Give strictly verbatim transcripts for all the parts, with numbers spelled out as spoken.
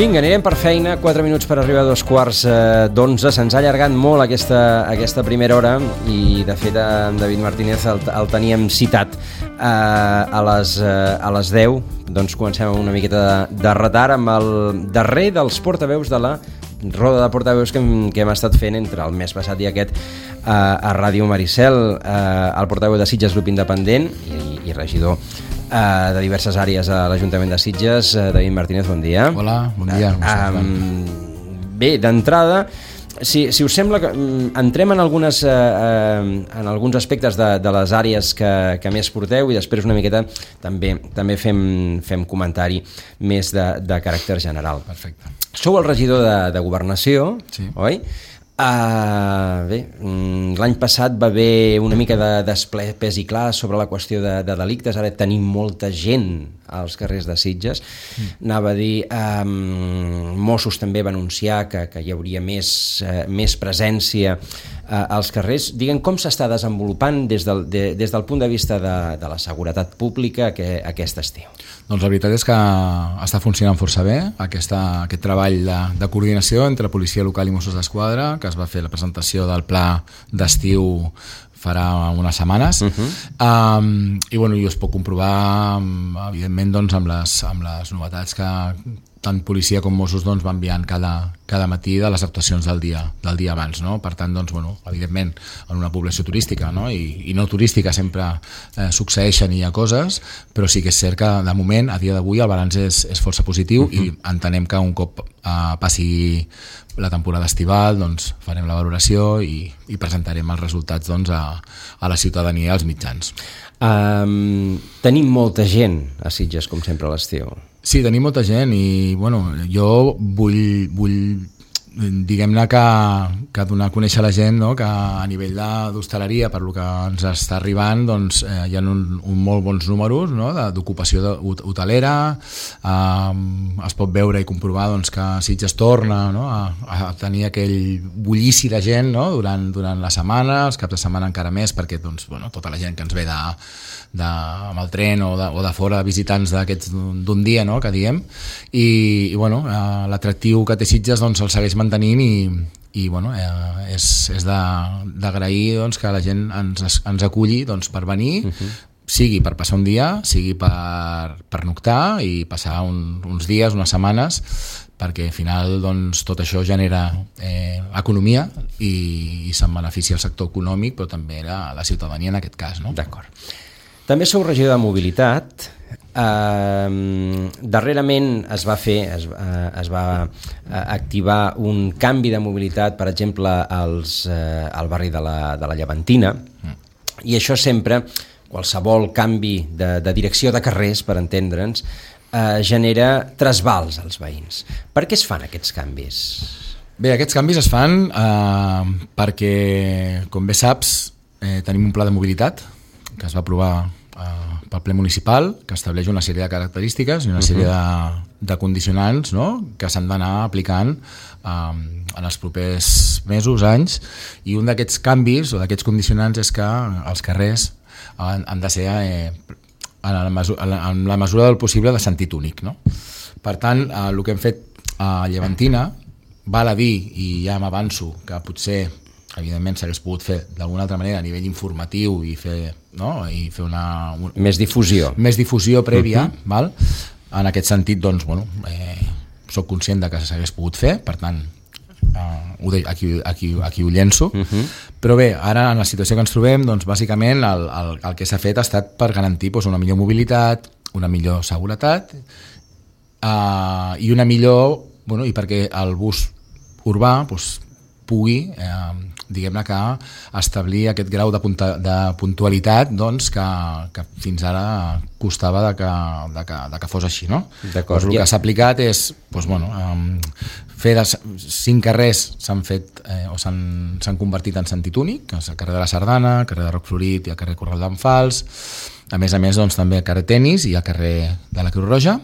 Vinga, anirem per feina, quatre minuts per arribar a dos quarts d'onze. Se'ns ha allargat molt aquesta, aquesta primera hora i, de fet, en David Martínez el, el teníem citat eh, a, les, eh, a les deu. Doncs comencem amb una miqueta de, de retard amb el darrer dels portaveus de la roda de portaveus que hem, que hem estat fent entre el mes passat i aquest eh, a Ràdio Maricel. Eh, el portaveu de Sitges, Grup Independent i, i regidor Uh, de diverses àrees a l'Ajuntament de Sitges. uh, David Martínez, bon dia. Hola, bon dia. uh, um, Bé, d'entrada, si, si us sembla, que um, entrem en, algunes, uh, uh, en alguns aspectes de, de les àrees que, que més porteu i després una miqueta també, també fem, fem comentari més de, de caràcter general. Perfecte. Sou el regidor de, de Governació, sí. Oi? Uh, bé, l'any passat va haver una mica de desple pes i clar sobre la qüestió de, de delictes. Ara tenim molta gent als carrers de Sitges. Mm. Anava a dir, um, Mossos també va anunciar que, que hi hauria més, uh, més presència uh, als carrers. Diguem, com s'està desenvolupant des del, de, des del punt de vista de, de la seguretat pública que, aquest estiu? Doncs la veritat és que està funcionant força bé aquesta, aquest treball de, de coordinació entre policia local i Mossos d'Esquadra, que es va fer la presentació del pla d'estiu farà unes setmanes. Uh-huh. um, i bueno, jo es puc comprovar evidentment doncs, amb, les, amb les novetats que tant policia com Mossos doncs, van enviant cada, cada matí de les actuacions del dia, del dia abans, no? Per tant, doncs, bueno, evidentment en una població turística, no? I, i no turística sempre eh, succeeixen i hi ha coses, però sí que és cert que de moment, a dia d'avui, el balanç és, és força positiu. Uh-huh. I entenem que un cop eh, passi la temporada estival, doncs farem la valoració i, i presentarem els resultats doncs, a, a la ciutadania i als mitjans. Um, tenim molta gent a Sitges, com sempre, a l'estiu. Sí, tenim molta gent i bueno, jo vull, vull diguem-ne que, que donar a conèixer a la gent, no? Que a nivell d'hostaleria, per lo que ens està arribant, doncs, eh, hi ha un, un molt bons números, no? D'ocupació hotelera. Eh, es pot veure i comprovar doncs, que Sitges torna, no? a, a tenir aquell bullici de gent, no? durant, durant la setmana, els caps de setmana encara més, perquè doncs, bueno, tota la gent que ens ve de, de, amb el tren o de, o de fora, visitants d'aquests d'un dia, no? Que diem, i, i bueno, eh, l'atractiu que té Sitges doncs, el segueix mantenint i, i bueno, eh, és, és d'agrair doncs, que la gent ens, ens aculli doncs, per venir, uh-huh. sigui per passar un dia, sigui per, per noctar i passar un, uns dies, unes setmanes, perquè al final doncs, tot això genera eh, economia i, i se'n beneficia el sector econòmic, però també la, la ciutadania en aquest cas. No? D'acord. També sou regidor de mobilitat. Uh, darrerament es va fer, es, uh, es va uh, activar un canvi de mobilitat, per exemple, als, uh, al barri de la, de la Llevantina, mm. i això sempre, qualsevol canvi de, de direcció de carrers, per entendre'ns, uh, genera trasbals als veïns. Per què es fan aquests canvis? Bé, aquests canvis es fan uh, perquè, com bé saps, eh, tenim un pla de mobilitat que es va aprovar uh, pel ple municipal, que estableix una sèrie de característiques i una sèrie uh-huh. de, de condicionants, no? Que s'han d'anar aplicant um, en els propers mesos, anys, i un d'aquests canvis o d'aquests condicionants és que els carrers han, han de ser eh, en, la mesura, en la mesura del possible de sentit únic, no? Per tant, eh, el que hem fet a Llevantina val a dir, i ja m'avanço, que potser evidentment s'hagués pogut fer d'alguna altra manera a nivell informatiu i fer, no? I fer una, un, més difusió més difusió prèvia, uh-huh. val? En aquest sentit doncs, bueno, eh, soc conscient de que s'hagués pogut fer, per tant eh, ho de, aquí, aquí, aquí ho llenço, uh-huh. però bé, ara en la situació que ens trobem, doncs bàsicament el, el, el que s'ha fet ha estat per garantir doncs, una millor mobilitat, una millor seguretat eh, i una millor, bueno, i perquè el bus urbà doncs, pugui eh, diguem-ne que establir aquest grau de, punta, de puntualitat doncs, que, que fins ara costava de que, de que, de que fos així, no? Doncs el que s'ha aplicat és doncs, bueno, eh, fer de cinc carrers s'han fet eh, o s'han convertit en sentit únic, que és el carrer de la Sardana, el carrer de Roc Florit i el carrer Corral d'en Fals. A més a més, doncs, també el carrer Tenis i el carrer de la Creu Roja,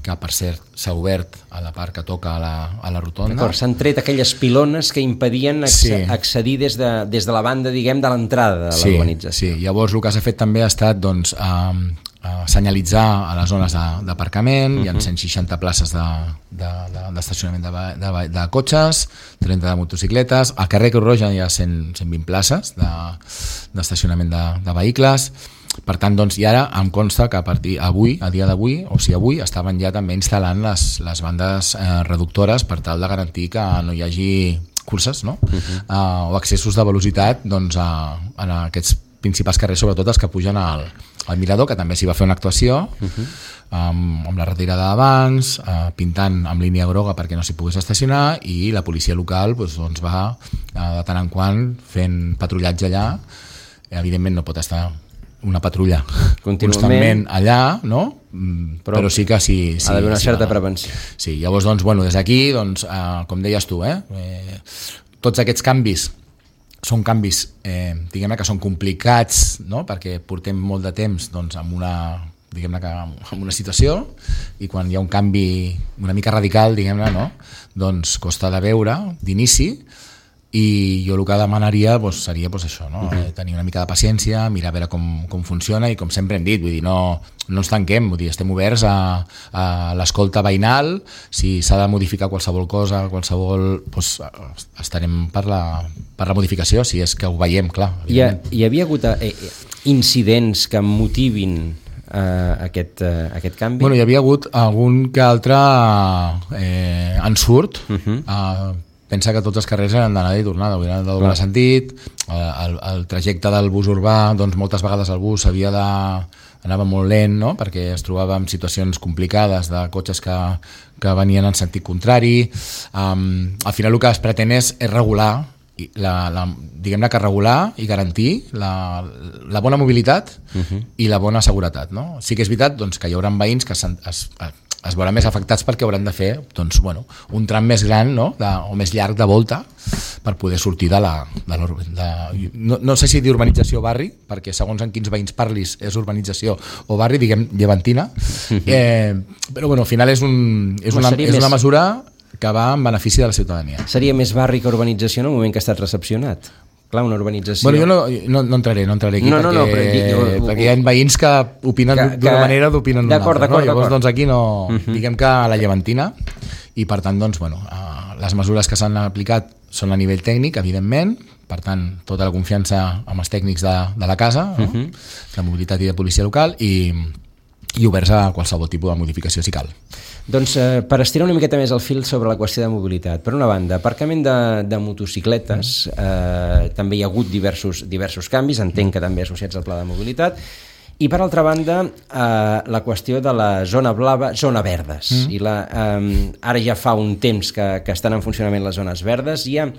que per cert s'ha obert a la part que toca a la, a la rotonda. D'acord, s'han tret aquelles pilones que impedien sí. accedir des de, des de la banda, diguem, de l'entrada de sí, l'urbanització. Sí, llavors el que s'ha fet també ha estat doncs, eh, uh, senyalitzar a les zones d'aparcament, uh-huh. Hi ha cent seixanta places d'estacionament de, de, de, de, de cotxes, trenta de motocicletes, al carrer Creu Roja hi ha cent, cent vint places d'estacionament de, de, de vehicles. Per tant, doncs, i ara em consta que a partir avui, a dia d'avui, o sigui avui, estaven ja també instal·lant les, les bandes eh, reductores per tal de garantir que no hi hagi curses, no? Uh-huh. uh, o accessos de velocitat, doncs, a, a aquests principals carrers, sobretot els que pugen al, al Mirador, que també s'hi va fer una actuació, uh-huh. amb, amb la retirada de bancs, uh, pintant amb línia groga perquè no s'hi pogués estacionar, i la policia local doncs, doncs va uh, de tant en quant fent patrullatge allà. Evidentment no pot estar una patrulla constantment allà, no? Però, però sí que sí, sí, ha d'haver una sí, certa sí, prevenció. Sí, llavors, doncs, bueno, des d'aquí, doncs, eh, com deies tu, eh, eh, tots aquests canvis són canvis, eh, diguem-ne que són complicats, no? Perquè portem molt de temps, doncs, amb una, diguem-ne que amb una situació, i quan hi ha un canvi una mica radical, diguem-ne, no? Doncs costa de veure d'inici. I jo el que demanaria doncs, seria doncs, això, no? Uh-huh. Tenir una mica de paciència, mirar a veure com, com funciona, i com sempre hem dit, vull dir, no, no ens tanquem, vull dir, estem oberts a, a l'escolta veïnal. Si s'ha de modificar qualsevol cosa, qualsevol, doncs, estarem per la, per la modificació, si és que ho veiem, clar. Hi, ha, hi havia hagut eh, incidents que motivin eh, aquest, eh, aquest canvi? Bueno, hi havia hagut algun que altre eh, ensurt, uh-huh. eh, pensa que tots els carrers eren d'anada i tornada, eren de doble sentit, el, el trajecte del bus urbà, doncs moltes vegades el bus havia de, anava molt lent, no? Perquè es trobava en situacions complicades de cotxes que, que venien en sentit contrari. Um, al final el que es pretén és, és regular, la, la, diguem-ne que regular i garantir la, la bona mobilitat uh-huh. i la bona seguretat, no? Sí que és veritat doncs, que hi haurà veïns que es, es, es veuran més afectats perquè hauran de fer doncs, bueno, un tram més gran, no? de, o més llarg de volta per poder sortir de la... De de, no, no sé si dir urbanització o barri, perquè segons en quins veïns parlis és urbanització o barri, diguem, llevantina, eh, però bueno, al final és, un, és, una, és una mesura que va en benefici de la ciutadania. Seria més barri que urbanització en el moment que ha estat recepcionat? Clar, una urbanització... Bueno, jo no, no, no entraré, no entraré aquí, no, no, perquè, no, però, perquè hi ha veïns que opinen d'una manera, d'opinen d'una altra. No? Llavors, doncs, aquí no... Uh-huh. Diguem que a la llevantina, i per tant, doncs, bueno, les mesures que s'han aplicat són a nivell tècnic, evidentment, per tant, tota la confiança amb els tècnics de, de la casa, no? Uh-huh. De mobilitat i de policia local, i, i oberts a qualsevol tipus de modificació si cal. Doncs eh, per estirar una miqueta més el fil sobre la qüestió de mobilitat, per una banda, aparcament de, de motocicletes, eh, també hi ha hagut diversos, diversos canvis, entenc que també associats al pla de mobilitat, i per altra banda, eh, la qüestió de la zona blava, zona verdes. Mm. I la, eh, ara ja fa un temps que, que estan en funcionament les zones verdes, hi ha...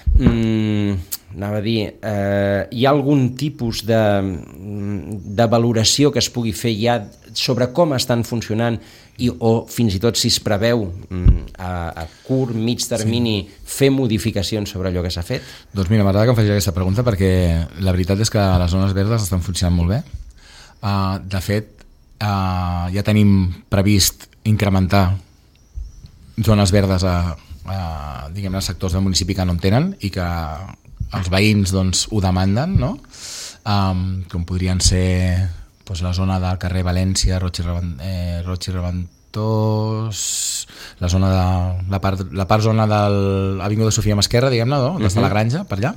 Mm, anava a dir, eh, hi ha algun tipus de, de valoració que es pugui fer ja sobre com estan funcionant i, o fins i tot si es preveu a, a curt, mig termini sí. fer modificacions sobre allò que s'ha fet? Doncs mira, m'agrada que em facis aquesta pregunta perquè la veritat és que les zones verdes estan funcionant molt bé. Uh, de fet, uh, ja tenim previst incrementar zones verdes a Uh, diguem-ne, sectors del municipi que no en tenen i que els veïns doncs, ho demanden, no? Um, com podrien ser doncs, la zona del carrer València, Roig i, Revent, eh, Roig i Reventós, la zona de la part, la part zona de l'Avinguda Sofia Masquerra, diguem-ne, no? Des de la Granja, per allà.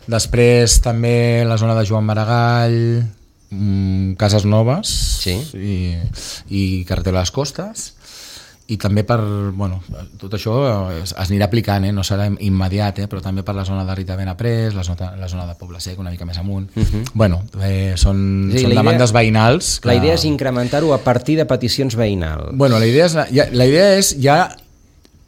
Després també la zona de Joan Maragall, um, Cases Noves sí. i, i Carretera de les Costes. I també per, bueno, tot això es, es anirà aplicant, eh? No serà immediat, eh? Però també per la zona de Rita Benaprés, la zona, la zona de Poble Sec, una mica més amunt. Uh-huh. Bueno, eh, són, sí, són demandes idea, veïnals. Que... La idea és incrementar-ho a partir de peticions veïnals. Bueno, la idea és ja, la idea és ja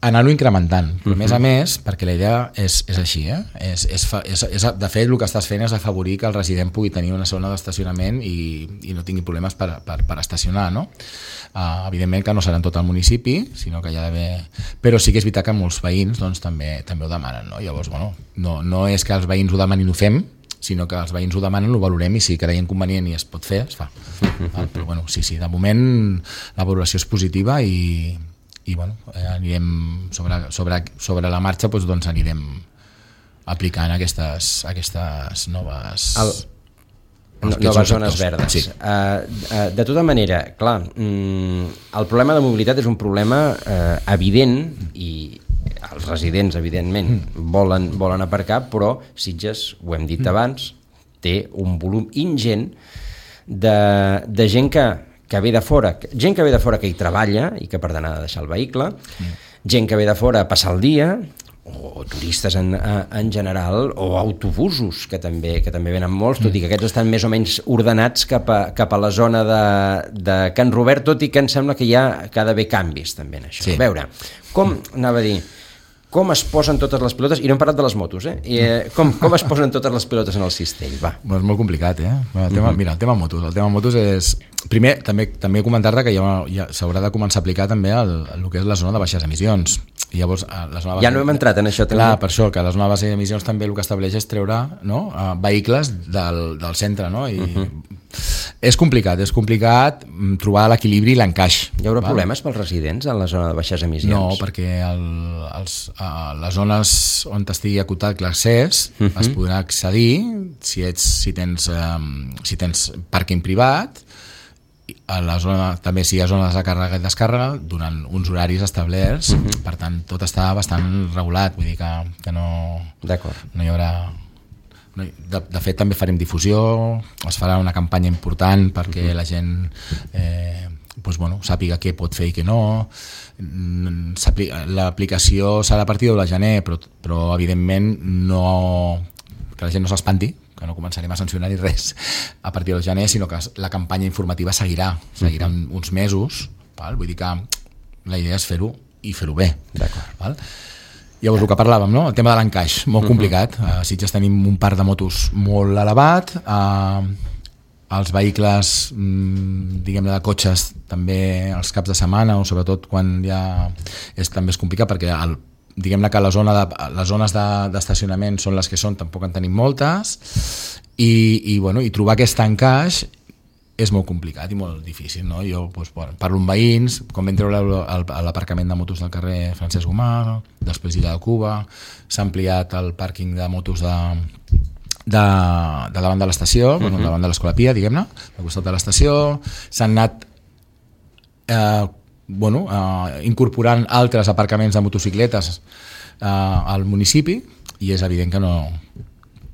anar-ho incrementant, però uh-huh. a més a més, perquè la idea és, és així, eh? és, és, és, és, de fet el que estàs fent és afavorir que el resident pugui tenir una zona d'estacionament i, i no tingui problemes per, per, per estacionar, no? Uh, evidentment que no serà en tot el municipi, sinó que hi ha d'haver... Però sí que és veritat que molts veïns doncs, també, també ho demanen, no? Llavors, bueno, no, no és que els veïns ho demanin i ho fem, sinó que els veïns ho demanen, ho valorem i si creiem convenient i es pot fer, es fa. Uh-huh. Però bueno, sí, sí, de moment la valoració és positiva i i bueno, eh, anirem sobre, sobre, sobre la marxa doncs, doncs anirem aplicant aquestes, aquestes noves... El, No, noves zones verdes. Sí. Uh, uh, de tota manera, clar, mm, el problema de mobilitat és un problema uh, evident i els residents, evidentment, mm. volen, volen aparcar, però Sitges, ho hem dit mm. abans, té un volum ingent de, de gent que, que ve de fora, gent que ve de fora que hi treballa i que per tant ha de deixar el vehicle, mm. gent que ve de fora a passar el dia, o turistes en, en general, o autobusos, que també, que també venen molts, tot i que aquests estan més o menys ordenats cap a, cap a la zona de, de Can Robert, tot i que em sembla que hi ha, que ha d'haver canvis també en això. Sí. A veure, com, anava a dir, com es posen totes les pilotes, i no hem parlat de les motos, eh? I, eh com, com es posen totes les pilotes en el cistell, va. Bueno, és molt complicat, eh? El tema, uh-huh. Mira, el tema motos, el tema motos és... Primer, també, també comentar-te que ja, ja s'haurà de començar a aplicar també el, el que és la zona de baixes emissions. I llavors, la zona ja no hem entrat en això també. Clar, per això, que la zona de baixes emissions també el que estableix és treure, no, uh, vehicles del, del centre, no? I uh-huh. és complicat, és complicat trobar l'equilibri i l'encaix. Hi haurà val? problemes pels residents en la zona de baixes emissions? No, perquè el, els, uh, les zones on estigui acotat l'accés uh-huh. es podrà accedir si, ets, si, tens, um, si tens pàrquing privat, a la zona, també si hi ha zones de càrrega i descàrrega durant uns horaris establerts, uh-huh. per tant tot està bastant regulat, vull dir que, que no, no hi haurà no, de, de fet també farem difusió, es farà una campanya important perquè uh-huh. la gent eh, doncs, bueno, sàpiga què pot fer i què no. L'aplicació serà a partir de la gener, però, però evidentment no, que la gent no s'espanti, que no començarem a sancionar ni res a partir del gener, sinó que la campanya informativa seguirà, seguirà uh-huh. uns mesos, val? Vull dir que la idea és fer-ho i fer-ho bé. Val? Llavors el que parlàvem, no? El tema de l'encaix, molt uh-huh. complicat. A Sitges tenim un parc de motos molt elevat, uh, els vehicles, mm, diguem-ne, de cotxes també els caps de setmana, o sobretot quan ja és, també és complicat perquè el diguem-ne que la zona de, les zones d'estacionament de, són les que són, tampoc en tenim moltes, i, i, bueno, i trobar aquest encaix és molt complicat i molt difícil, no? Jo doncs, bueno, parlo amb veïns, com vam treure l'aparcament de motos del carrer Francesc Gomà, després Illa de Cuba, s'ha ampliat el pàrquing de motos de, de, de davant de l'estació, uh-huh. bueno, davant de l'Escola Pia, diguem-ne, al costat de l'estació, s'han anat eh, bueno, eh, incorporant altres aparcaments de motocicletes eh, al municipi, i és evident que, no,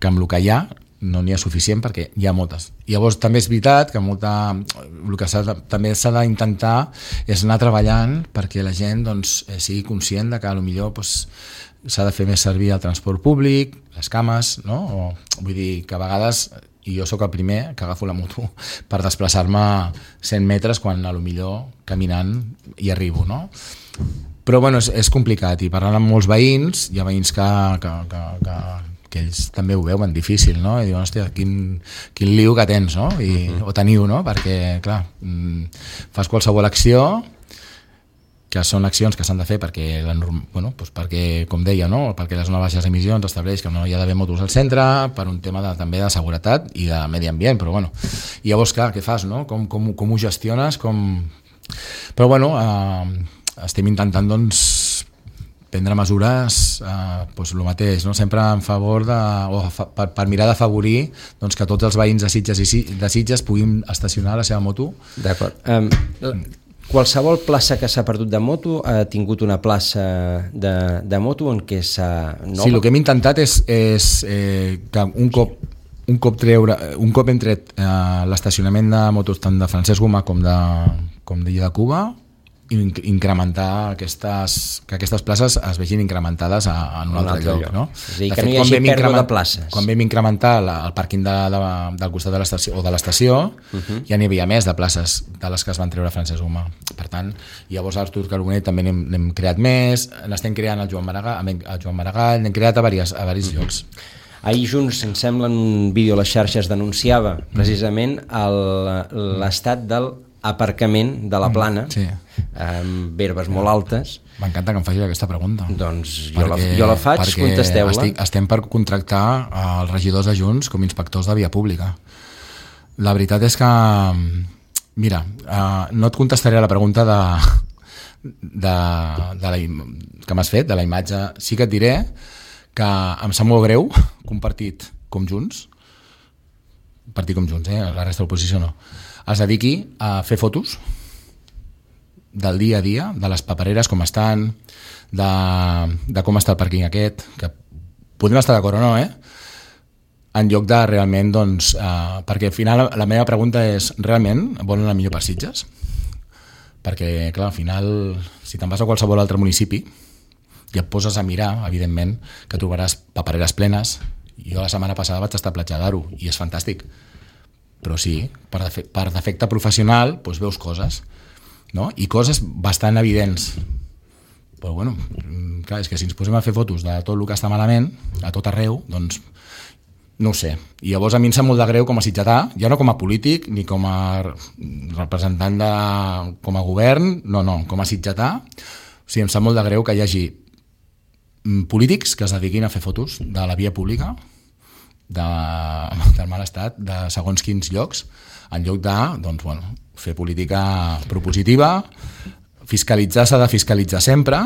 que amb el que hi ha no n'hi ha suficient perquè hi ha moltes. I llavors també és veritat que molta, el que s'ha de, també s'ha d'intentar és anar treballant perquè la gent doncs, sigui conscient de que potser doncs, s'ha de fer més servir el transport públic, les cames, no? O, vull dir que a vegades... i jo sóc el primer que agafo la moto per desplaçar-me cent metres quan a lo millor caminant hi arribo, no? Però bueno, és, és complicat, i parlant amb molts veïns, hi ha veïns que, que, que, que, que ells també ho veuen difícil, no? I diuen, hòstia, quin, quin liu que tens, no? I, uh-huh. o teniu, no? Perquè, clar, fas qualsevol acció que són accions que s'han de fer perquè, la norm... bueno, doncs perquè, com deia, no? Perquè la zona de baixes emissions estableix que no hi ha d'haver motos al centre per un tema de, també de seguretat i de medi ambient, però bueno, i llavors, clar, què fas, no? Com, com, com ho gestiones? Com... Però bueno, eh, estem intentant, doncs, prendre mesures, eh, doncs el mateix, no? Sempre en favor de, o fa, per, per mirar d'afavorir doncs, que tots els veïns de Sitges i de Sitges puguin estacionar la seva moto. D'acord. Um, qualsevol plaça que s'ha perdut de moto ha tingut una plaça de, de moto en què s'ha... Sí, el que hem intentat és, és eh, que un cop un cop treure, un cop hem tret eh, l'estacionament de motos tant de Francesc Gomà com de com d'Illa de Cuba, incrementar aquestes, que aquestes places es vegin incrementades a, en un, un altre, altre lloc, lloc. No? És a dir, que fet, no hi hagi pèrdua de places. Quan vam incrementar la, el pàrquing de, de, del costat de l'estació o de l'estació, uh-huh. ja n'hi havia més de places de les que es van treure a Francesc Gomà. Per tant, llavors a Artur Carbonell també n'hem creat més, n'estem creant al Joan Maragall, a Joan Maragall, n'hem creat a diversos, a diversos uh-huh. llocs. Ahir Junts, em sembla, en un vídeo a les xarxes denunciava precisament el, l'estat del aparcament de la Plana, sí. amb herbes molt altes. M'encanta que em facis aquesta pregunta. Doncs jo, perquè, la, jo la faig, contesteu-la. Estic, estem per contractar els regidors de Junts com inspectors de via pública. La veritat és que, mira, no et contestaré a la pregunta de, de, de la, que m'has fet, de la imatge. Sí que et diré que em sap molt greu que un partit com Junts partit com Junts, eh? La resta de l'oposició no, es dediqui a fer fotos del dia a dia, de les papereres, com estan, de, de com està el pàrquing aquest, que podem estar d'acord o no, eh? En lloc de realment, doncs, eh, perquè al final la meva pregunta és, realment volen el millor per Sitges? Perquè, clar, al final, si te'n vas a qualsevol altre municipi i et poses a mirar, evidentment, que trobaràs papereres plenes. Jo la setmana passada vaig estar a Platja d'Aro i és fantàstic. Però sí, per, defe per defecte professional, doncs veus coses, no? I coses bastant evidents. Però, bueno, clar, és que si ens posem a fer fotos de tot el que està malament, a tot arreu, doncs no ho sé. I llavors a mi em sap molt de greu com a sitgetà, ja no com a polític ni com a representant de, com a govern, no, no, com a sitgetà. O sigui, em sap molt de greu que hi hagi polítics que es dediquin a fer fotos de la via pública, de, del mal estat, de segons quins llocs, en lloc de, doncs, bueno, fer política propositiva, fiscalitzar s'ha de fiscalitzar sempre,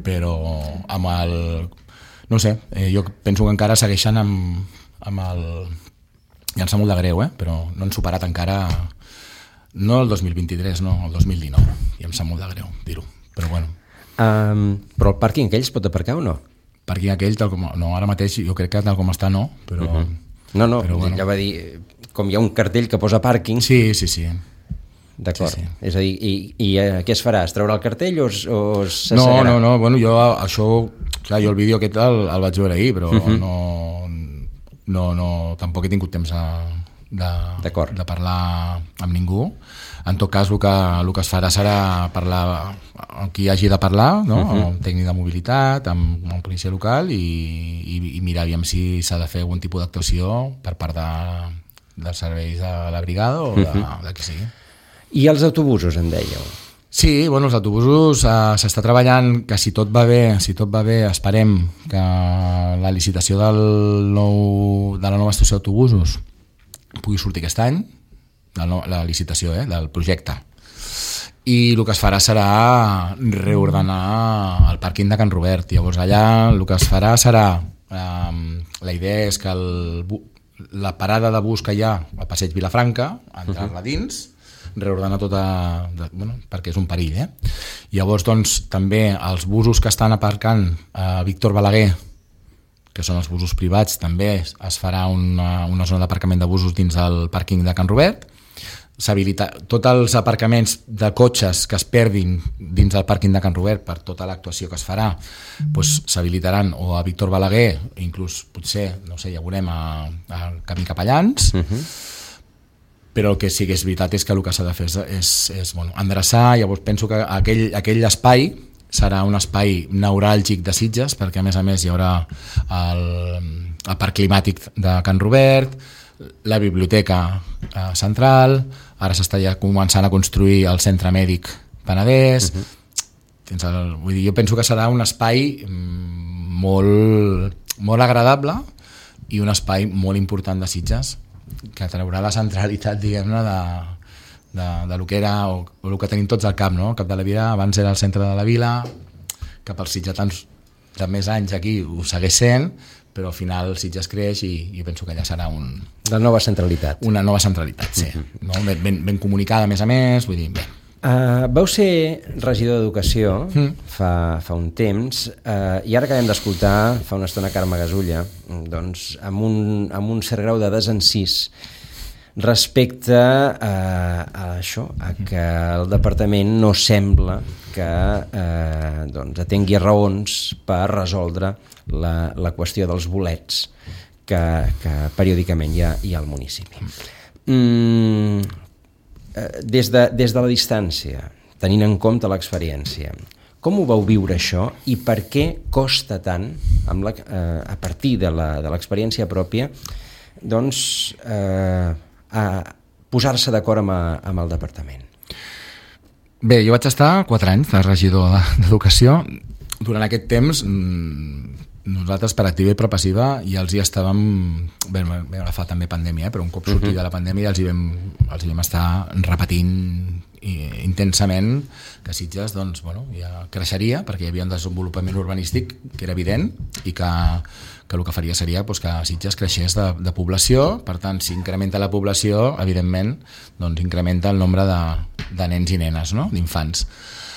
però amb el... No sé, eh, jo penso que encara segueixen amb, amb el... Ja em sap molt de greu, eh? Però no han superat encara... No el dos mil vint-i-tres, no, el dos mil dinou. I em sap molt de greu dir-ho, però bueno. Um, però el pàrquing aquell es pot aparcar o no? Pàrquing aquell, tal com... No, ara mateix jo crec que tal com està no, però... Uh -huh. No, no, però, bueno. Ja va dir... Com hi ha un cartell que posa pàrquing... Sí, sí, sí. D'acord, sí, sí. És a dir, i, i eh, què es farà? Es traurà el cartell o, es, o se no, seguirà? No, no, bueno, jo això, clar, jo el vídeo aquest el, el vaig veure ahir, però uh -huh. no, no, no, tampoc he tingut temps de, de, de parlar amb ningú. En tot cas, el que, el que es farà serà parlar amb qui hagi de parlar, no? Uh -huh. Amb tècnic de mobilitat, amb, amb policia local i, i, i mirar aviam si s'ha de fer algun tipus d'actuació per part de, dels serveis de la brigada o de, uh -huh. de qui sigui. I els autobusos, em dèieu? Sí, bueno, els autobusos eh, s'està treballant que si tot va bé, si tot va bé, esperem que la licitació del nou, de la nova estació d'autobusos pugui sortir aquest any, la, no, la licitació eh, del projecte. I el que es farà serà reordenar el pàrquing de Can Robert. Llavors allà el que es farà serà, eh, la idea és que el, la parada de bus que hi ha al passeig Vilafranca, entrar-la dins, reordenar tota, de, bueno, perquè és un perill, eh? Llavors, doncs, també els busos que estan aparcant a Víctor Balaguer, que són els busos privats, també es farà una, una zona d'aparcament de busos dins del pàrquing de Can Robert. S'habilita tots els aparcaments de cotxes que es perdin dins del pàrquing de Can Robert per tota l'actuació que es farà, doncs s'habilitaran o a Víctor Balaguer, inclús potser, no sé, ja veurem a, a Camí Capellans. Uh -huh. Però el que sí que és veritat és que el que s'ha de fer és, és, és bueno, endreçar. Llavors penso que aquell, aquell espai serà un espai neuràlgic de Sitges, perquè a més a més hi haurà el, el parc climàtic de Can Robert, la biblioteca eh, central, ara s'està ja començant a construir el centre mèdic Penedès. Uh -huh. el, vull dir, jo penso que serà un espai molt, molt agradable i un espai molt important de Sitges, que traurà la centralitat, diguem-ne, de, de, de lo que era o, o el que tenim tots al cap, no? El Cap de la Vila abans era el centre de la vila, que pels sitgetans de més anys aquí ho segueix sent, però al final Sitges creix i jo penso que allà serà un... La nova centralitat. Una nova centralitat, sí. Uh-huh. No? Ben, ben, ben comunicada, a més a més, vull dir, bé. Uh, vau ser regidor d'Educació mm. fa, fa un temps uh, i ara acabem d'escoltar fa una estona Carme Gasulla, doncs, amb, un, amb un cert grau de desencís respecte a, a això, a que el departament no sembla que eh, doncs, atengui raons per resoldre la, la qüestió dels bolets que, que periòdicament hi ha, hi ha al municipi. Mm, Des de, des de la distància, tenint en compte l'experiència, com ho vau viure això i per què costa tant, amb la, eh, a partir de l'experiència pròpia, doncs, eh, a posar-se d'acord amb, amb el departament? Bé, jo vaig estar quatre anys de regidor d'Educació. Durant aquest temps, nosaltres per activa i per passiva ja els hi estàvem, bé, vam agafar també pandèmia, eh, però un cop sortir uh -huh. de la pandèmia els hi vam, els hi vam estar repetint intensament que Sitges doncs, bueno, ja creixeria perquè hi havia un desenvolupament urbanístic que era evident i que que el que faria seria doncs, que Sitges creixés de, de població, per tant, si incrementa la població, evidentment, doncs incrementa el nombre de, de nens i nenes, no? D'infants.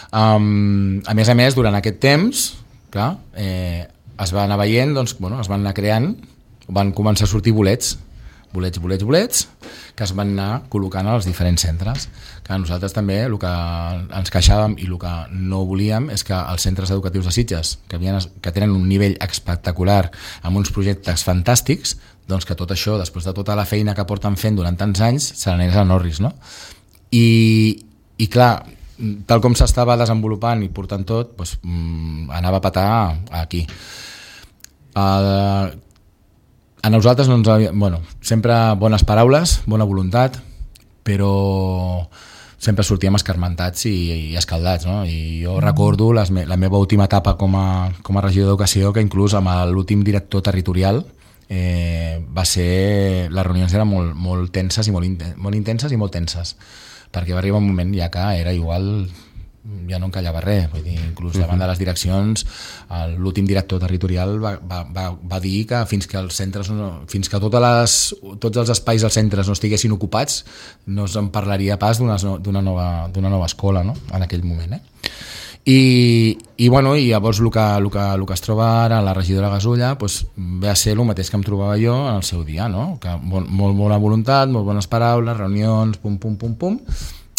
Um, a més a més, durant aquest temps, clar, eh, es va anar veient, doncs, bueno, es van anar creant, van començar a sortir bolets, bolets, bolets, bolets, que es van anar col·locant als diferents centres. Que nosaltres també el que ens queixàvem i el que no volíem és que els centres educatius de Sitges, que, havien, que tenen un nivell espectacular, amb uns projectes fantàstics, doncs que tot això, després de tota la feina que porten fent durant tants anys, se n'anés a Norris, no? I, i clar, tal com s'estava desenvolupant i portant tot, doncs, anava a petar aquí. Uh, a nosaltres no ens havia, bueno, sempre bones paraules, bona voluntat, però sempre sortíem escarmentats i, i escaldats, no? I jo recordo les me, la meva última etapa com a, com a regidor d'Educació, que inclús amb l'últim director territorial eh, va ser, les reunions eren molt, molt tenses i molt, inten, molt intenses i molt tenses, perquè va arribar un moment ja que era igual, ja no encallava res, vull dir, inclús davant de les direccions l'últim director territorial va, va, va, va dir que fins que els centres no, fins que totes les, tots els espais als centres no estiguessin ocupats no se'n parlaria pas d'una, d'una, nova, d'una nova escola, no? En aquell moment, eh? I, i, bueno, i llavors el que, el, que, el que es troba ara la regidora Gasulla doncs, ve a ser el mateix que em trobava jo en el seu dia, no? Que molt, molt bona voluntat, molt bones paraules, reunions, pum, pum, pum, pum.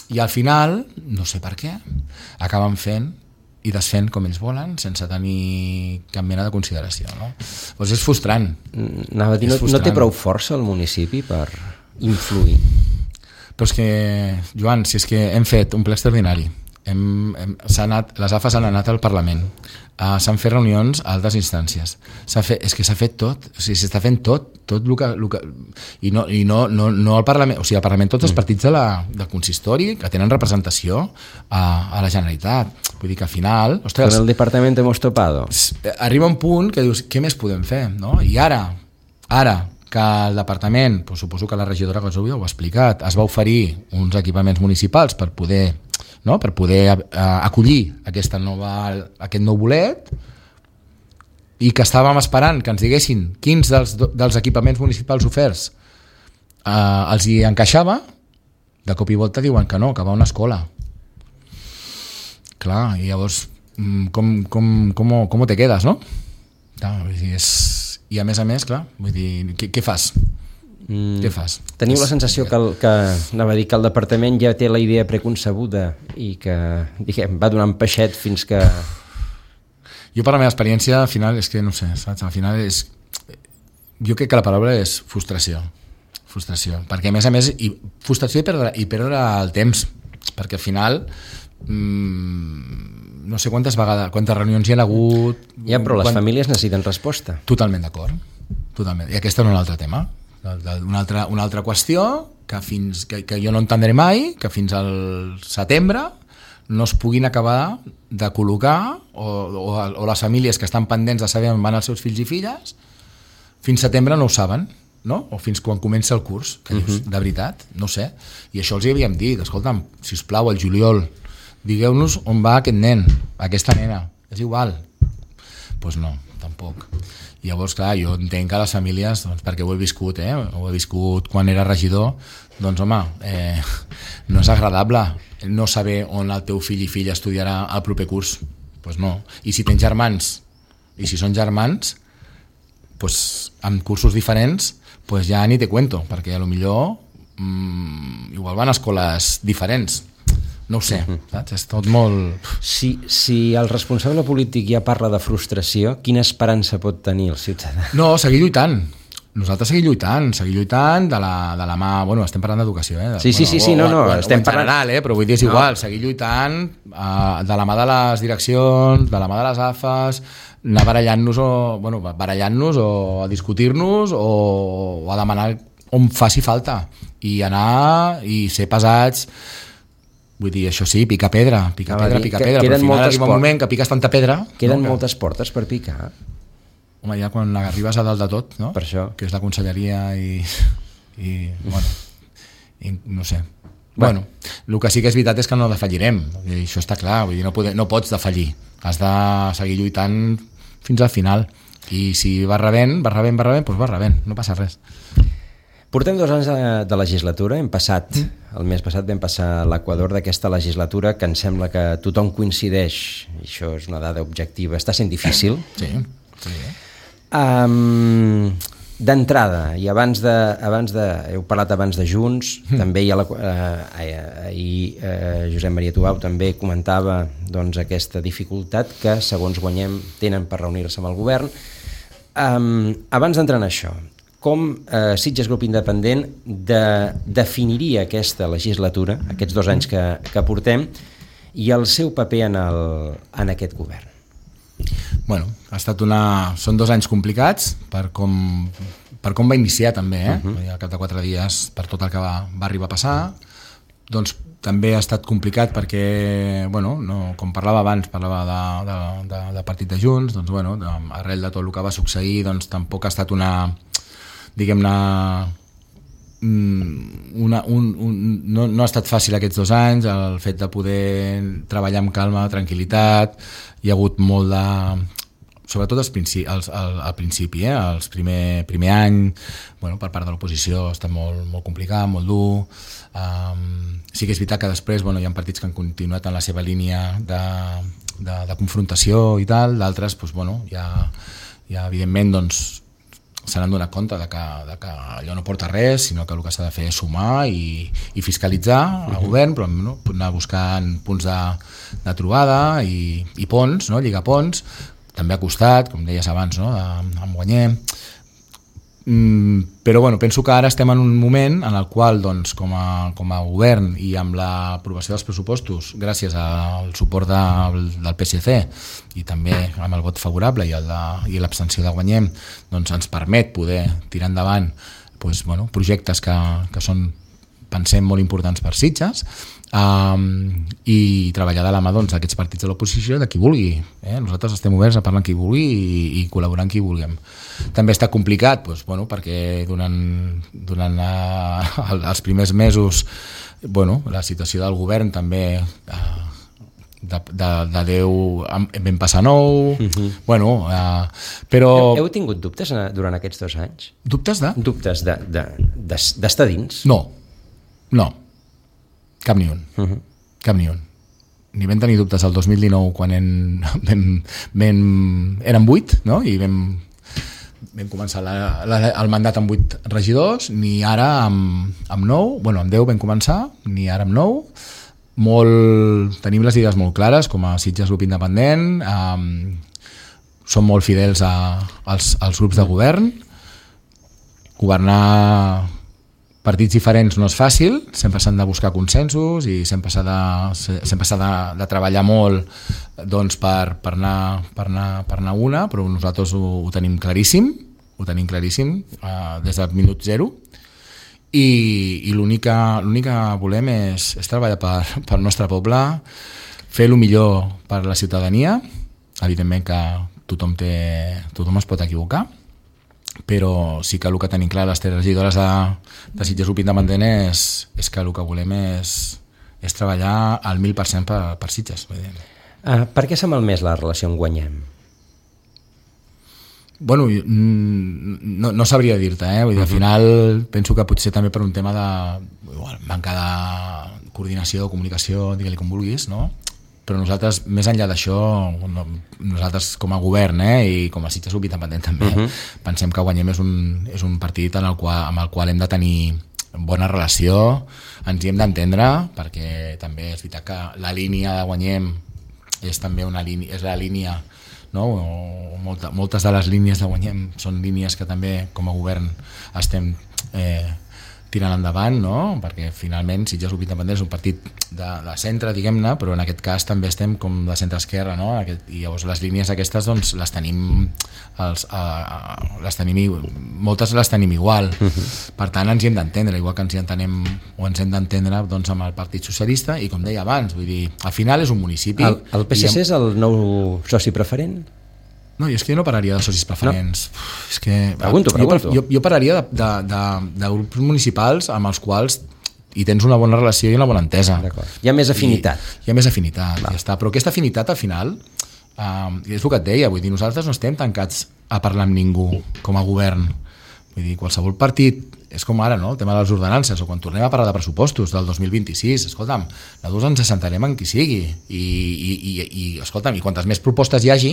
I al final, no sé per què, acaben fent i desfent com ells volen sense tenir cap mena de consideració, no? Doncs és frustrant. Anava a dir, no, no té prou força el municipi per influir? Però és que, Joan, si és que hem fet un ple extraordinari, hem, hem, s'ha anat, les A F A s'han anat al Parlament, uh, s'han fet reunions a altres instàncies, s'ha fet, és que s'ha fet tot, o sigui, s'està fent tot, tot el que, el que i, no, i no, no, no al Parlament, o sigui, al Parlament tots els partits de la, del consistori que tenen representació a, a la Generalitat, vull dir que al final, ostres, con el departament hemos topado, arriba un punt que dius, què més podem fer, no? I ara, ara que el departament, doncs suposo que la regidora Gasulla ho ha explicat, es va oferir uns equipaments municipals per poder, no? per poder uh, acollir aquesta nova, aquest nou bolet, i que estàvem esperant que ens diguessin quins dels, dels equipaments municipals oferts uh, els hi encaixava, de cop i volta diuen que no, que va a una escola. Clar, i llavors com, com, com, com te quedes, no? Clar, és... I a més a més, clar, vull dir, què, què fas? Mm. Què fas? Teniu la sensació que, el, que, anava a dir, que el departament ja té la idea preconcebuda i que, diguem, va donant peixet fins que... Jo per la meva experiència, al final, és que no sé, saps? Al final és... Jo crec que la paraula és frustració. Frustració. Perquè a més a més, i frustració i perdre, i perdre el temps. Perquè al final... Mmm, no sé quantes vegades, quantes reunions hi ha hagut... Ja, però les quan... famílies necessiten resposta. Totalment d'acord. Totalment. I aquest és un altre tema. Una altra, una altra qüestió que, fins, que, que jo no entendré mai, que fins al setembre no es puguin acabar de col·locar, o, o, o les famílies que estan pendents de saber on van els seus fills i filles, fins setembre no ho saben, no? O fins quan comença el curs, que dius, uh-huh. de veritat, no sé. I això els hi havíem dit, escolta'm, sisplau, al juliol, digueu-nos on va aquest nen, aquesta nena, és igual. Doncs pues no, tampoc. I llavors, clar, jo entenc que les famílies, doncs, perquè ho he viscut, eh? ho he viscut quan era regidor, doncs home, eh, no és agradable no saber on el teu fill i filla estudiarà el proper curs. Doncs pues no. I si tens germans, i si són germans, pues, amb cursos diferents, pues ja ni te cuento, perquè a lo millor mmm, igual van a escoles diferents. No ho sé, saps? És tot molt... Si, si el responsable polític ja parla de frustració, quina esperança pot tenir el ciutadà? No, seguir lluitant. Nosaltres seguir lluitant, seguir lluitant de la, de la mà... Bueno, estem parlant d'educació, eh? De, sí, sí, bueno, sí, sí, no, no, o, estem o en general, parlant... eh? Però vull dir, és igual, no. Seguir lluitant uh, de la mà de les direccions, de la mà de les A F As, anar barallant-nos o, bueno, barallant-nos o a discutir-nos o, o a demanar on faci falta i anar i ser pesats. Vull dir, això sí, picar pedra, picar ah, pedra, picar pedra, però al final arriba un moment que piques tanta pedra... Queden no? moltes portes per picar. Home, ja quan arribes a dalt de tot, no? Per això. Que és la conselleria i... i bueno, i, no sé. Bueno, el que sí que és veritat és que no defallirem, i això està clar, vull dir, no, poder, no pots defallir, has de seguir lluitant fins al final. I si va rebent, va rebent, va rebent, doncs va rebent, no passa res. Portem dos anys de, de legislatura, hem passat, el mes passat vam passar l'equador d'aquesta legislatura, que em sembla que tothom coincideix, i això és una dada objectiva, està sent difícil. Sí, sí. Um, D'entrada, i abans de, abans de, heu parlat abans de Junts, mm. també hi ha la, eh, ahir eh, Josep Maria Tubau també comentava doncs, aquesta dificultat que, segons Guanyem, tenen per reunir-se amb el govern. Um, abans d'entrar en això, com eh, Sitges Grup Independent de, definiria aquesta legislatura, aquests dos anys que, que portem, i el seu paper en, el, en aquest govern? Bueno, ha estat una... són dos anys complicats per com, per com va iniciar també, eh? Uh-huh. Al cap de quatre dies per tot el que va, va arribar a passar. Doncs també ha estat complicat perquè, bueno, no, com parlava abans, parlava de, de, de, de partit de Junts, doncs bueno, de, arrel de tot el que va succeir, doncs tampoc ha estat una, diguem-ne, una, un, un, no, no ha estat fàcil aquests dos anys, el fet de poder treballar amb calma, tranquil·litat. Hi ha hagut molt de... sobretot als principi, als, al, al principi, eh? Els primer, primer any, bueno, per part de l'oposició ha estat molt, molt complicat, molt dur. Um, sí que és veritat que després, bueno, hi ha partits que han continuat en la seva línia de, de, de confrontació i tal, d'altres, doncs, bueno, ja, ja evidentment, doncs, se n'han donat compte de que, de que allò no porta res, sinó que el que s'ha de fer és sumar i, i fiscalitzar el uh-huh. govern, però no, anar buscant punts de, de trobada i, i ponts, no? Lligar ponts, també ha costat, com deies abans, no? de, amb Guanyem. Mm, però bueno, penso que ara estem en un moment en el qual doncs, com, a, com a govern i amb l'aprovació dels pressupostos, gràcies al suport de, del P S C i també amb el vot favorable i, el de, i l'abstenció de Guanyem, doncs ens permet poder tirar endavant doncs, bueno, projectes que, que són, pensem, molt importants per Sitges, um, i treballar de la mà doncs, aquests partits de l'oposició, de qui vulgui. Eh? Nosaltres estem oberts a parlar amb qui vulgui i, i col·laborar amb qui vulguem. També està complicat doncs, bueno, perquè durant, durant uh, els primers mesos bueno, la situació del govern també uh, de, de, de Déu vam passar nou, uh-huh. bueno, uh, però... Heu, heu tingut dubtes durant aquests dos anys? Dubtes de? Dubtes de, de, de, d'estar dins? No, no, cap ni un, uh-huh. cap ni un. Ni vam tenir dubtes el dos mil dinou quan en, vam, vam, érem vuit, no? I vam, vam començar la, la, el mandat amb vuit regidors, ni ara amb, amb nou, bueno, amb deu vam començar, ni ara amb nou. Molt, tenim les idees molt clares com a Sitges Grup Independent, um, som molt fidels a, als, als grups de govern. Governar partits diferents no és fàcil, sempre s'han de buscar consensos i sempre s'ha de, sempre s'ha de, de treballar molt doncs, per, per, anar, per, anar, per anar una, però nosaltres ho, ho tenim claríssim, ho tenim claríssim uh, des del minut zero. I, i l'únic que, l'únic que volem és, és treballar per, per el nostre poble, fer el millor per la ciutadania. Evidentment que tothom, té, tothom es pot equivocar, però sí que el que tenim clar les tres regidores de, de Sitges Grup Independent és, és que el que volem és, és treballar al mil per cent per, per Sitges. Uh, per què s'ha malmès la relació amb Guanyem? Bueno, no, no sabria dir-te, eh? Vull dir, al final penso que potser també per un tema de igual, manca de coordinació, de comunicació, digue-li com vulguis, no? Però nosaltres, més enllà d'això, nosaltres com a govern eh, i com a Sitges Grup Independent també, uh-huh. pensem que Guanyem és un, és un partit en el qual, amb el qual hem de tenir bona relació, ens hi hem d'entendre, perquè també és veritat que la línia de Guanyem és també una línia, és la línia, no? Molta, moltes de les línies de Guanyem són línies que també com a govern estem eh, tirant endavant, no? Perquè finalment Sitges Grup Independent és un partit de, de centre, diguem-ne, però en aquest cas també estem com de centre-esquerra, no? Aquest, i llavors les línies aquestes doncs, les tenim, els, uh, les tenim moltes les tenim igual, uh-huh. Per tant ens hi hem d'entendre, igual que ens hi entenem o ens hem d'entendre doncs, amb el Partit Socialista i com deia abans, vull dir, al final és un municipi. El, el P S C hem... és el nou soci preferent? No, jo és que jo no pararia de socis preferents. No. Uf, és que, pregunto, pregunto. Jo, jo pararia de, de, de, de grups municipals amb els quals hi tens una bona relació i una bona entesa. D'acord. Hi ha més afinitat. I, hi ha més afinitat, ja està. Però aquesta afinitat al final Uh, I és el que et deia, vull dir, nosaltres no estem tancats a parlar amb ningú com a govern. Vull dir, qualsevol partit, és com ara, no?, el tema de les ordenances, o quan tornem a parlar de pressupostos del dos mil vint-i-sis, escolta'm, nosaltres ens assentarem en qui sigui, i, i, i, i escolta'm, i quantes més propostes hi hagi,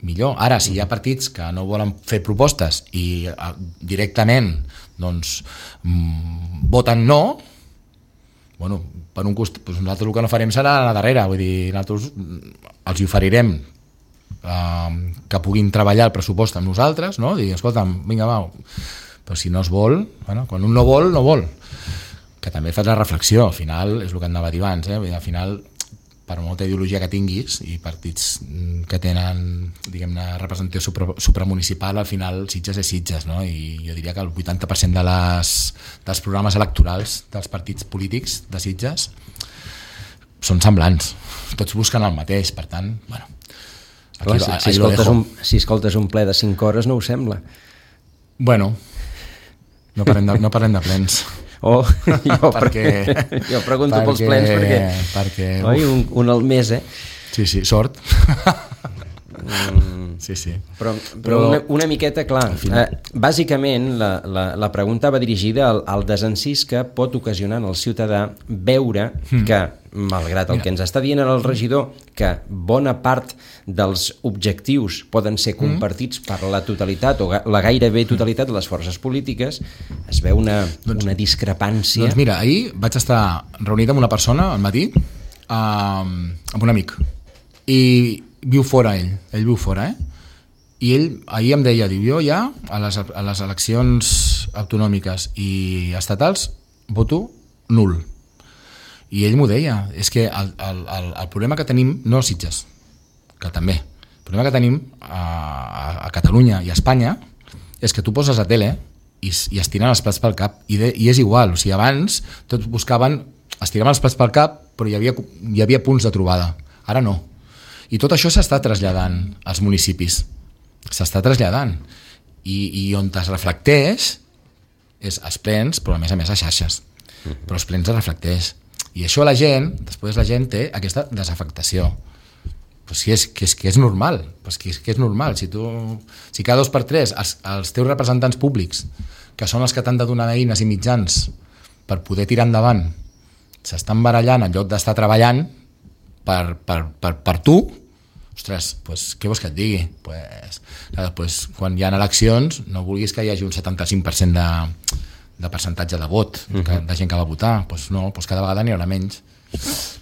millor. Ara, si hi ha partits que no volen fer propostes i uh, directament, doncs, mm, voten no, bueno, per un costat, doncs nosaltres el que no farem serà anar darrere, vull dir, nosaltres els hi oferirem uh, que puguin treballar el pressupost amb nosaltres, no? Dir, escolta'm, vinga, va, però si no es vol, bueno, quan un no vol, no vol. Que també fas la reflexió, al final, és el que anava a dir abans, eh? Vull dir, al final, per molta ideologia que tinguis i partits que tenen, diguem-ne, representació supra, supramunicipal, al final Sitges és Sitges, no? I jo diria que el vuitanta per cent de les, dels programes electorals dels partits polítics de Sitges són semblants, tots busquen el mateix, per tant, bueno, Clar, si, si, escoltes un, si escoltes un ple de cinc hores no ho sembla. Bueno, no parlem de, no parlem de plens. Oh, jo, perquè, jo pregunto perquè, pels plens perquè, perquè oi, un, un al mes, eh? Sí, sí, sort. Mm, sí, sí. Però, però una, una miqueta, clar, eh, bàsicament la, la, la pregunta va dirigida al, al desencís que pot ocasionar en el ciutadà veure mm. que, malgrat el Mira. que ens està dient el regidor, que bona part dels objectius poden ser compartits mm. per la totalitat o la gairebé totalitat de les forces polítiques, es veu una, doncs, una discrepància. Doncs mira, ahir vaig estar reunit amb una persona al matí, eh, amb un amic, i viu fora ell, ell viu fora, eh? I ell ahir em deia, diu, jo ja a les, a les eleccions autonòmiques i estatals voto nul. I ell m'ho deia, és que el, el, el, el problema que tenim, no a Sitges, que també, el problema que tenim a, a, a Catalunya i a Espanya és que tu poses a tele i, i es tiren els plats pel cap, i, de, i és igual, o sigui, abans tots buscaven, es tiraven els plats pel cap, però hi havia, hi havia punts de trobada, ara no. I tot això s'està traslladant als municipis, s'està traslladant, i, i on es reflecteix és als plens, però a més a més a xarxes, però els plens es reflecteix, i això la gent, després la gent té aquesta desafectació, pues que, és, que, és, que és normal, pues que, és, que és normal, si, tu, si cada dos per tres els, els teus representants públics, que són els que t'han de donar eines i mitjans per poder tirar endavant, s'estan barallant en lloc d'estar treballant per, per, per, per tu, ostres, pues, què vols que et digui? Pues, pues, quan hi ha eleccions no vulguis que hi hagi un setanta-cinc per cent de, de percentatge de vot, uh-huh. que, de gent que va votar, pues no, pues cada vegada n'hi haurà menys.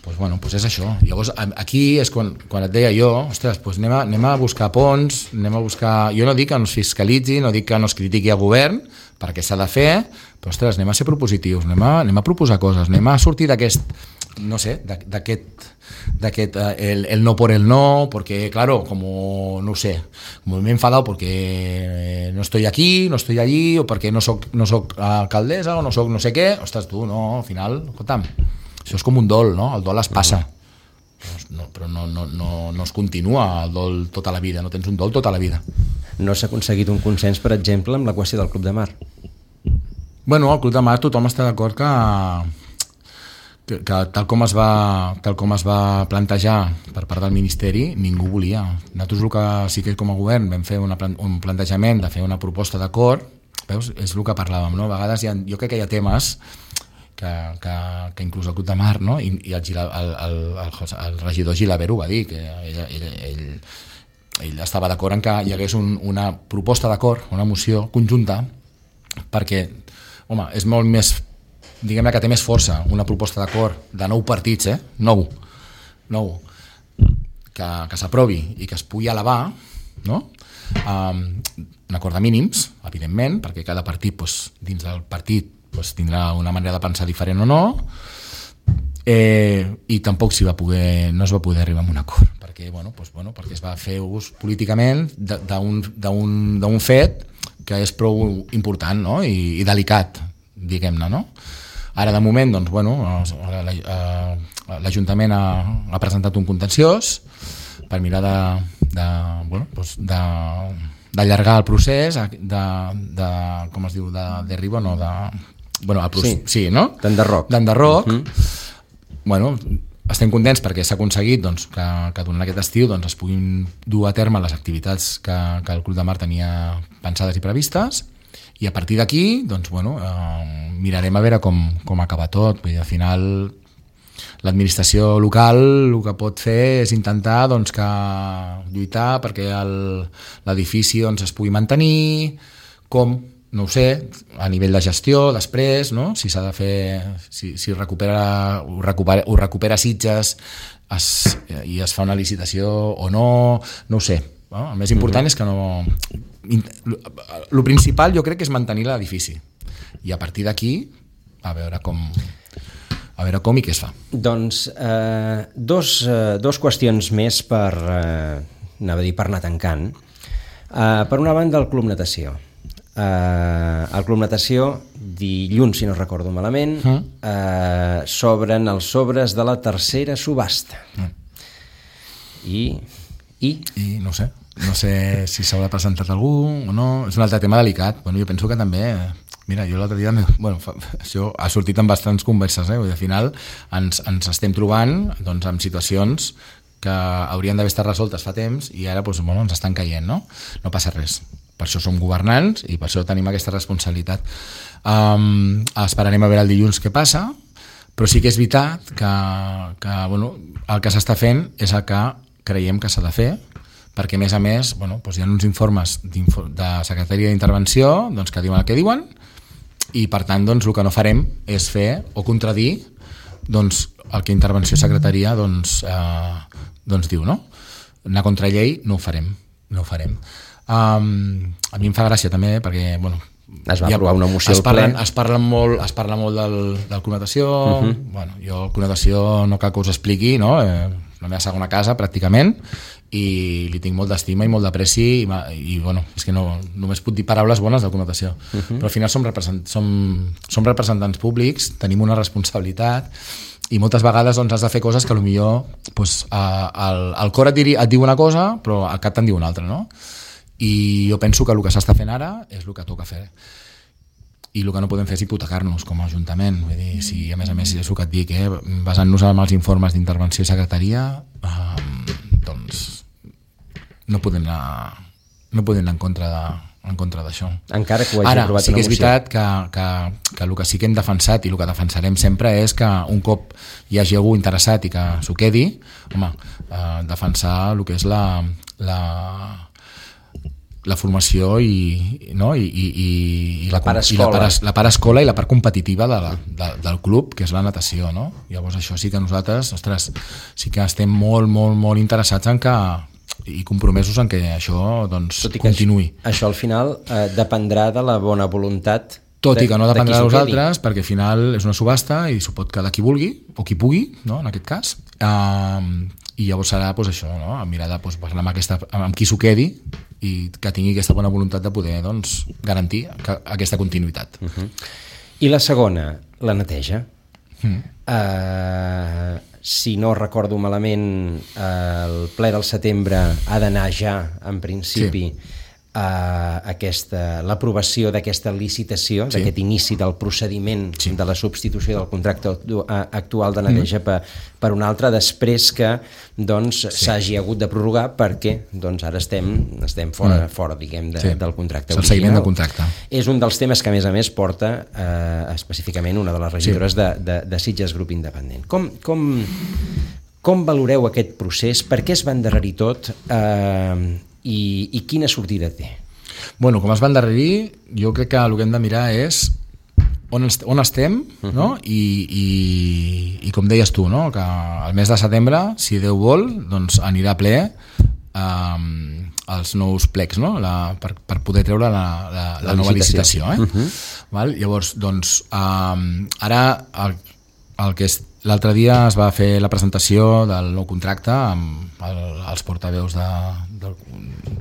Pues bueno, pues és això. Llavors aquí és quan, quan et deia jo, ostres, pues anem, a, anem a buscar ponts, anem a buscar... Jo no dic que no es fiscalitzi, no dic que no es critiqui al govern, perquè s'ha de fer, però ostres, anem a ser propositius, anem a, anem a proposar coses, anem a sortir d'aquest, no sé, d'aquest... d'aquest el, el no por el no, porque claro, como no sé, como me he enfadado porque no estoy aquí, no estoy allí, o porque no soc, no soc alcaldessa o no soc no sé què, ostres, tu, no, al final, escolta'm, això és com un dol, no? El dol es passa, no, però no, no, no, no es continua el dol tota la vida, no tens un dol tota la vida. No s'ha aconseguit un consens, per exemple, amb la qüestió del Club de Mar? Bueno, el Club de Mar tothom està d'acord que que, que tal, com es va, tal com es va plantejar per part del Ministeri, ningú volia. Nosaltres el que sí que com a govern vam fer una, un plantejament de fer una proposta d'acord, veus, és el que parlàvem, no? A vegades hi ha, jo crec que hi ha temes que, que, que inclús el Club de Mar, no? I, i el, el, el, el, el regidor Gilabert ho va dir, que ell, ell, ell, ell estava d'acord en que hi hagués un, una proposta d'acord, una moció conjunta, perquè, home, és molt més, diguem-ne que té més força una proposta d'acord de nou partits, eh? nou, nou que, que s'aprovi i que es pugui elevar, no? Um, un acord de mínims, evidentment, perquè cada partit, doncs, dins del partit, doncs, tindrà una manera de pensar diferent o no, eh, i tampoc s'hi va poder, no es va poder arribar a un acord, perquè, bueno, doncs, bueno, perquè es va fer ús políticament d'un fet que és prou important, no? I, i delicat, diguem-ne, no? Ara, de moment, doncs, bueno, l'Ajuntament ha, ha presentat un contenciós per mirar de, de, bueno, doncs de, d'allargar el procés, de, de, com es diu, de derribo, no, de... Bueno, el procés, sí, sí, no? D'enderroc. D'enderroc. Uh-huh. Bueno, estem contents perquè s'ha aconseguit doncs, que, que durant aquest estiu doncs, es puguin dur a terme les activitats que, que el Club de Mar tenia pensades i previstes, i a partir d'aquí doncs, bueno, eh, mirarem a veure com, com acaba tot. Vull dir, al final l'administració local el que pot fer és intentar doncs, que lluitar perquè l'edifici doncs, es pugui mantenir, com no ho sé, a nivell de gestió després, no? Si s'ha de fer, si, si recupera, ho, recupera, ho recupera Sitges es, i es fa una licitació o no, no ho sé, no? El més important mm-hmm. és que no... El principal jo crec que és mantenir l'edifici i a partir d'aquí a veure com a veure com i què es fa. Doncs eh, dos, eh, dos qüestions més per, eh, anava a dir, per anar tancant. Eh, per una banda, el Club Natació. Uh, el Club Natació dilluns, si no recordo malament, uh. uh, s'obren els sobres de la tercera subhasta uh. I, i i no sé no sé si s'haurà presentat algú o no, és un altre tema delicat. Bueno, jo penso que també, mira, jo l'altre dia bueno, fa, això ha sortit en bastants converses, eh? Al final ens, ens estem trobant doncs, en situacions que haurien d'haver estat resoltes fa temps i ara doncs, bueno, ens estan caient, no? No passa res. Per això som governants i per això tenim aquesta responsabilitat. Um, esperarem a veure el dilluns què passa, però sí que és veritat que, que bueno, el que s'està fent és el que creiem que s'ha de fer, perquè a més a més bueno, doncs hi ha uns informes de Secretaria d'Intervenció doncs, que diuen el que diuen i per tant doncs, el que no farem és fer o contradir doncs, el que Intervenció Secretaria doncs, eh, doncs diu, no? Anar contra llei no ho farem, no ho farem. Um, a mi em fa gràcia també perquè bueno, es va aprovar una moció es parlen, al ple es parla molt, es parla molt del, del Club Natació uh-huh. bueno, jo el Club Natació no cal que us expliqui, no? Eh, la meva segona casa pràcticament i li tinc molt d'estima i molt d'apreci i, i bueno, és que no, només puc dir paraules bones del Club Natació uh-huh. però al final som, represent, som, som representants públics, tenim una responsabilitat i moltes vegades doncs, has de fer coses que potser doncs, el, el cor et, diri, et diu una cosa però el cap te'n diu una altra, no? I jo penso que el que s'està fent ara és el que toca fer i el que no podem fer és hipotecar-nos com a Ajuntament. Vull dir, si a més a més és el que et dic, eh, basant-nos en els informes d'intervenció i secretaria eh, doncs no podem anar no podem anar en contra de, en contra d'això. Encara que ho hagi ara, aprovat sí que és moció. veritat que, que, que el que sí que hem defensat i el que defensarem sempre és que un cop hi hagi algú interessat i que s'ho quedi, home, eh, defensar el que és la la la formació i, no? I, i, i, la, part i la, part, la part escola i la part competitiva de la, de, del club, que és la natació, no? Llavors això sí que nosaltres, ostres, sí que estem molt, molt, molt interessats en que i compromesos en que això doncs, continuï. Això, això al final eh, dependrà de la bona voluntat tot i que no dependrà de nosaltres, perquè al final és una subhasta i s'ho pot quedar qui vulgui o qui pugui, no? En aquest cas. Um, i llavors serà doncs, això, no? Mirar de doncs, parlar amb, aquesta, amb qui s'ho quedi i que tingui aquesta bona voluntat de poder doncs, garantir que, aquesta continuïtat. Uh-huh. I la segona, la neteja. Mm. Uh, si no recordo malament, uh, el ple del setembre ha d'anar ja, en principi, sí. Uh, aquesta, l'aprovació d'aquesta licitació, sí. d'aquest inici del procediment sí. de la substitució del contracte actual de neteja mm. per, per un altre, després que doncs, sí. s'hagi hagut de prorrogar perquè doncs, ara estem, estem fora, mm. fora diguem, de, sí. del contracte original. El seguiment del contracte. És un dels temes que a més a més porta eh, específicament una de les regidores sí. de, de, de Sitges Grup Independent. Com, com, com valoreu aquest procés? Per què es va endarrerir tot? Eh, I, i quina sortida té? Bueno, com es va endarrerir, jo crec que el que hem de mirar és on, est on estem, uh-huh. no? I, i, i com deies tu, no? Que el mes de setembre, si Déu vol, doncs anirà ple um, els nous plecs, no? La, per, per poder treure la, la, la, la nova licitació. licitació eh? uh-huh. Val? Llavors, doncs, um, ara el, el que és l'altre dia es va fer la presentació del nou contracte amb el, els portaveus de, del,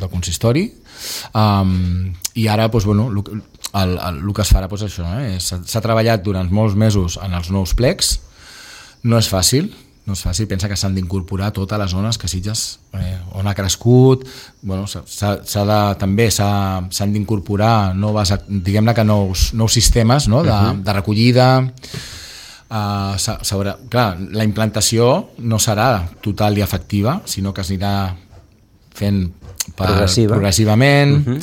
del consistori um, i ara doncs, bueno, el, el, el, el que es farà doncs, això, eh? s'ha treballat durant molts mesos en els nous plecs, no és fàcil, no és fàcil, pensa que s'han d'incorporar totes les zones que Sitges eh, on ha crescut, bueno, s'ha, s'ha de, també s'han d'incorporar noves, diguem-ne que nous, nous sistemes no? de, uh-huh. de recollida. Uh, s'haurà, clar, la implantació no serà total i efectiva, sinó que es anirà fent per, Progressiva. progressivament, uh-huh.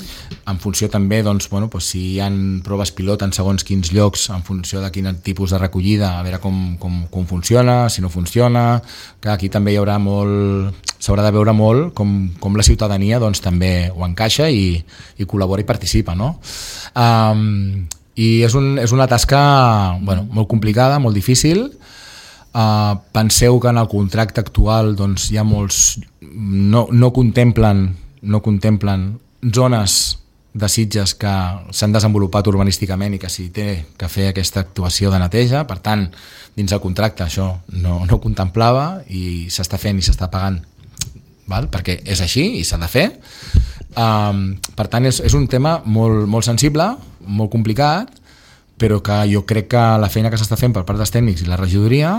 en funció també, doncs, bueno, doncs, si hi ha proves pilot en segons quins llocs, en funció de quin tipus de recollida, a veure com, com, com funciona, si no funciona, que aquí també hi haurà molt, s'haurà de veure molt com, com la ciutadania doncs, també ho encaixa i, i col·labora i participa, no? Um, i és, un, és una tasca bueno, molt complicada, molt difícil. Uh, penseu que en el contracte actual doncs, hi ha molts no, no contemplen no contemplen zones de Sitges que s'han desenvolupat urbanísticament i que s'hi té que fer aquesta actuació de neteja, per tant dins el contracte això no, no contemplava i s'està fent i s'està pagant, val? Perquè és així i s'ha de fer. Um, per tant és, és un tema molt, molt sensible, molt complicat, però que jo crec que la feina que s'està fent per part dels tècnics i la regidoria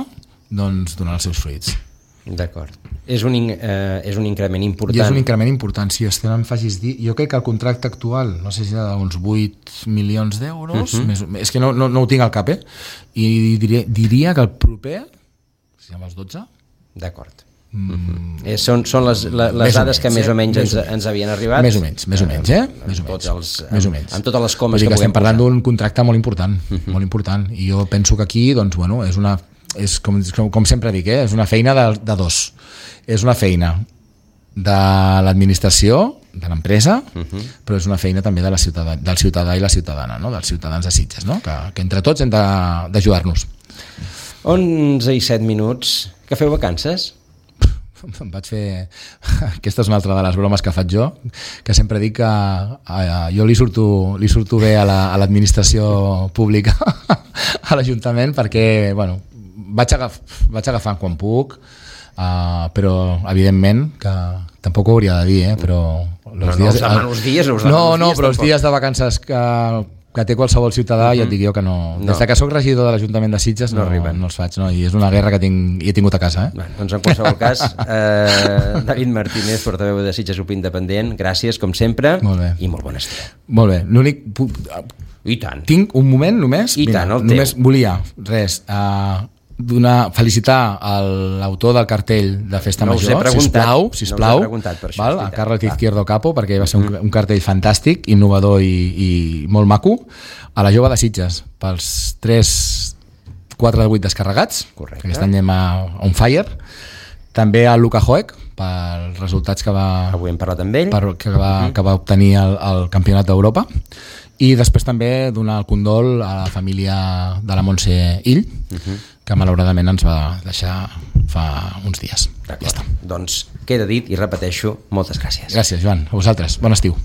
doncs donarà els seus fruits. D'acord. És un, eh, és un increment important. I és un increment important, si sí, em facis dir. Jo crec que el contracte actual, no sé si era d'uns vuit milions d'euros, uh-huh. més, és que no, no, no ho tinc al cap, eh? I diria, diria que el proper, si amb els dotze... D'acord. Mm. Eh, són, són les, les, les dades menys, que més o menys, eh? ens, ens havien arribat. Més o menys, més o menys, eh? Més o menys. Els, més o menys. Amb, amb totes les comes que, que estem parlant d'un contracte molt important, uh-huh. molt important. I jo penso que aquí, doncs, bueno, és una... és com, com, com sempre dic, eh? És una feina de, de dos. És una feina de l'administració, de l'empresa, uh-huh. però és una feina també de la ciutadà, del ciutadà i la ciutadana, no? Dels ciutadans de Sitges, no? que, que entre tots hem d'ajudar-nos. onze i set minuts. Que feu vacances? Em vaig fer... Aquesta és una altra de les bromes que faig jo, que sempre dic que a, a, jo li surto, li surto bé a l'administració la, pública, a l'Ajuntament, perquè, bueno, vaig, agaf, vaig agafant quan puc, uh, però evidentment que tampoc ho hauria de dir, eh? Però els no, dies, no, els dies, no, no, no, però els dies de vacances que, que té qualsevol ciutadà, uh-huh. ja et dic jo que no. no. Des que soc regidor de l'Ajuntament de Sitges no, no, arriben. no els faig, no? I és una guerra que tinc, he tingut a casa. Eh? Bueno, doncs en qualsevol cas, eh, David Martínez, portaveu de Sitges U P Independent, gràcies com sempre molt bé. I molt bon estiu. Molt bé, l'únic... I tant. Tinc un moment només. I Mira, tant, el només teu. Volia, res, uh, donar, felicitar l'autor del cartell de Festa no Major, sisplau, sisplau, no per això, val? A Carles Izquierdo Capo, perquè va ser un, un cartell fantàstic, innovador i, i molt maco, a la Jove de Sitges, pels tres quatre de vuit descarregats, correcte. Aquest any anem a On Fire, també a Luka Hoek, pels resultats que va, avui hem parlat amb ell, per, que, va, uh-huh. que va obtenir el, el Campionat d'Europa. I després també donar el condol a la família de la Montse Ill, uh-huh. que malauradament ens va deixar fa uns dies. Ja està. Doncs queda dit i repeteixo, moltes gràcies. Gràcies, Joan. A vosaltres. Bon estiu.